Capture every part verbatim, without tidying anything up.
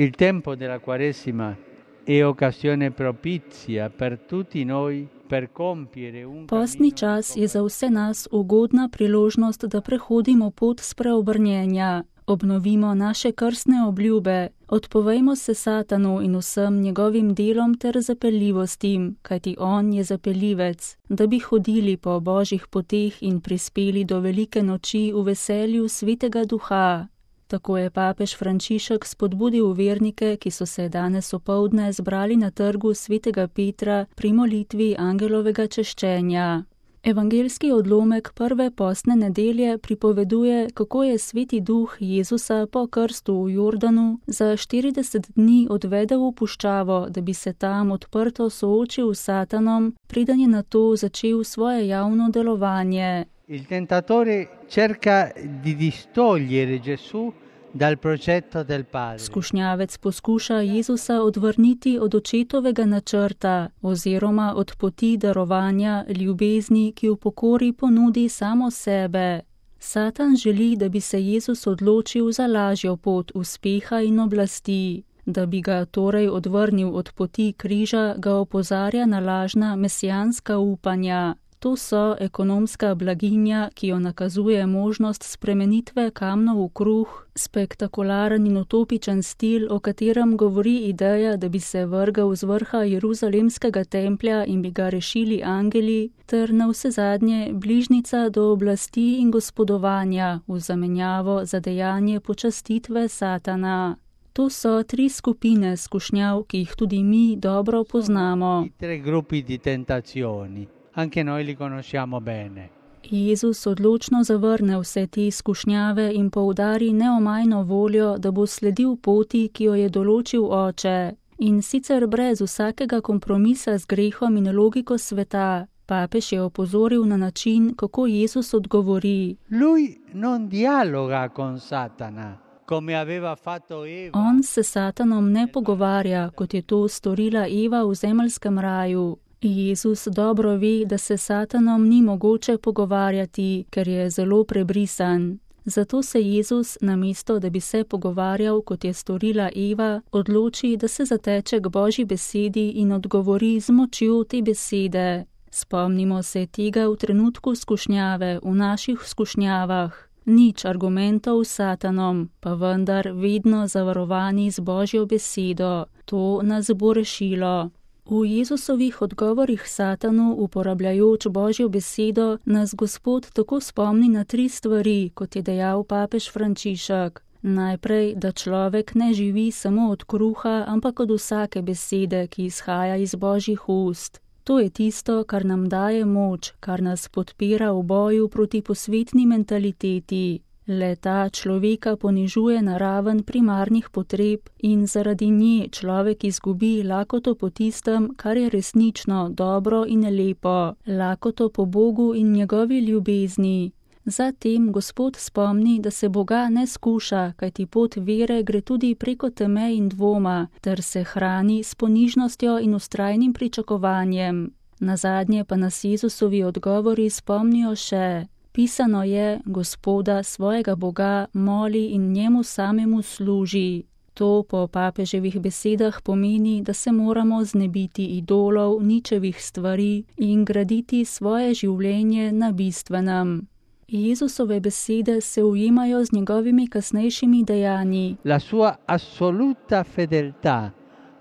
Il tempo della Quaresima è occasione propizia per tutti noi per compiere un Postni cammino čas di je za vse nas ugodna priložnost, da prehodimo pot spreobrnjenja, obnovimo naše krstne obljube, odpovejmo se Satanu in vsem njegovim delom ter zapeljivostim, kajti on je zapeljivec, da bi hodili po Božjih poteh in prispeli do velike noči v veselju Svetega Duha. Tako je papež Frančišek spodbudil vernike, ki so se danes opoldne zbrali na trgu Svetega Petra pri molitvi angelovega češčenja. Evangeljski odlomek prve postne nedelje pripoveduje, kako je Sveti Duh Jezusa po krstu v Jordanu za štirideset dni odvedel v puščavo, da bi se tam odprto soočil s Satanom, preden je nato začel svoje javno delovanje. Il tentatore cerca di distogliere Gesù dal progetto del Padre. Skušnjavec poskuša Jezusa odvrniti od očetovega načrta oziroma od poti darovanja ljubezni, ki v pokori ponudi samo sebe. Satan želi, da bi se Jezus odločil za lažjo pot uspeha in oblasti. Da bi ga torej odvrnil od poti križa, ga opozarja na lažna mesijanska upanja. To so ekonomska blaginja, ki jo nakazuje možnost spremenitve kamnov v kruh, spektakularen in utopičen stil, o katerem govori ideja, da bi se vrgel z vrha Jeruzalemskega templja in bi ga rešili angeli, ter navsezadnje bližnica do oblasti in gospodovanja v zamenjavo za dejanje počastitve Satana. To so tri skupine skušnjav, ki jih tudi mi dobro poznamo. Tre gruppi di tentazioni. Anche noi li conosciamo bene. Jezus odločno zavrne vse te skušnjave in poudari neomajno voljo, da bo sledil poti, ki jo je določil Oče. In sicer brez vsakega kompromisa z grehom in logiko sveta. Papež je opozoril na način, kako Jezus odgovori. Lui non dialoga con Satana, come aveva fatto Eva. On se Satanom ne pogovarja, kot je to storila Eva v zemeljskem raju. Jezus dobro ve, da se Satanom ni mogoče pogovarjati, ker je zelo prebrisan. Zato se Jezus, namesto da bi se pogovarjal, kot je storila Eva, odloči, da se zateče k Božji besedi in odgovori z močjo te besede. Spomnimo se tega v trenutku skušnjave, v naših skušnjavah. Nič argumentov s Satanom, pa vendar vedno zavarovani z Božjo besedo. To nas bo rešilo. V Jezusovih odgovorih Satanu, uporabljajoč Božjo besedo, nas Gospod tako spomni na tri stvari, kot je dejal papež Frančišek. Najprej, da človek ne živi samo od kruha, ampak od vsake besede, ki izhaja iz Božjih ust. To je tisto, kar nam daje moč, kar nas podpira v boju proti posvetni mentaliteti. Le ta človeka ponižuje na raven primarnih potreb in zaradi nje človek izgubi lakoto po tistem, kar je resnično dobro in lepo, lakoto po Bogu in njegovi ljubezni. Zatem Gospod spomni, da se Boga ne skuša, kajti pot vere gre tudi preko teme in dvoma, ter se hrani s ponižnostjo in vztrajnim pričakovanjem. Nazadnje pa nas Jezusovi odgovori spomnijo še. Pisano je, Gospoda, svojega Boga, moli in njemu samemu služi. To po papeževih besedah pomeni, da se moramo znebiti idolov, ničevih stvari in graditi svoje življenje na bistvenem. Jezusove besede se ujemajo z njegovimi kasnejšimi dejanji. La sua assoluta fedeltà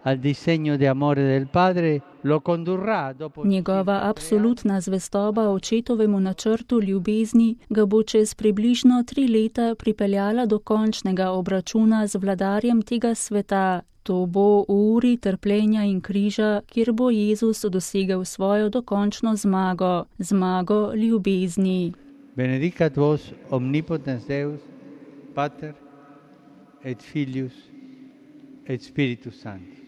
al disegno di amore del Padre lo condurrà dopo. Njegova absolutna zvestoba očetovemu načrtu ljubezni ga bo čez približno tri leta pripeljala do končnega obračuna z vladarjem tega sveta. To bo v uri trpljenja in križa, kjer bo Jezus dosegel svojo dokončno zmago, zmago ljubezni. Benedicat vos omnipotens Deus, Pater et Filius et Spiritus Sanctus.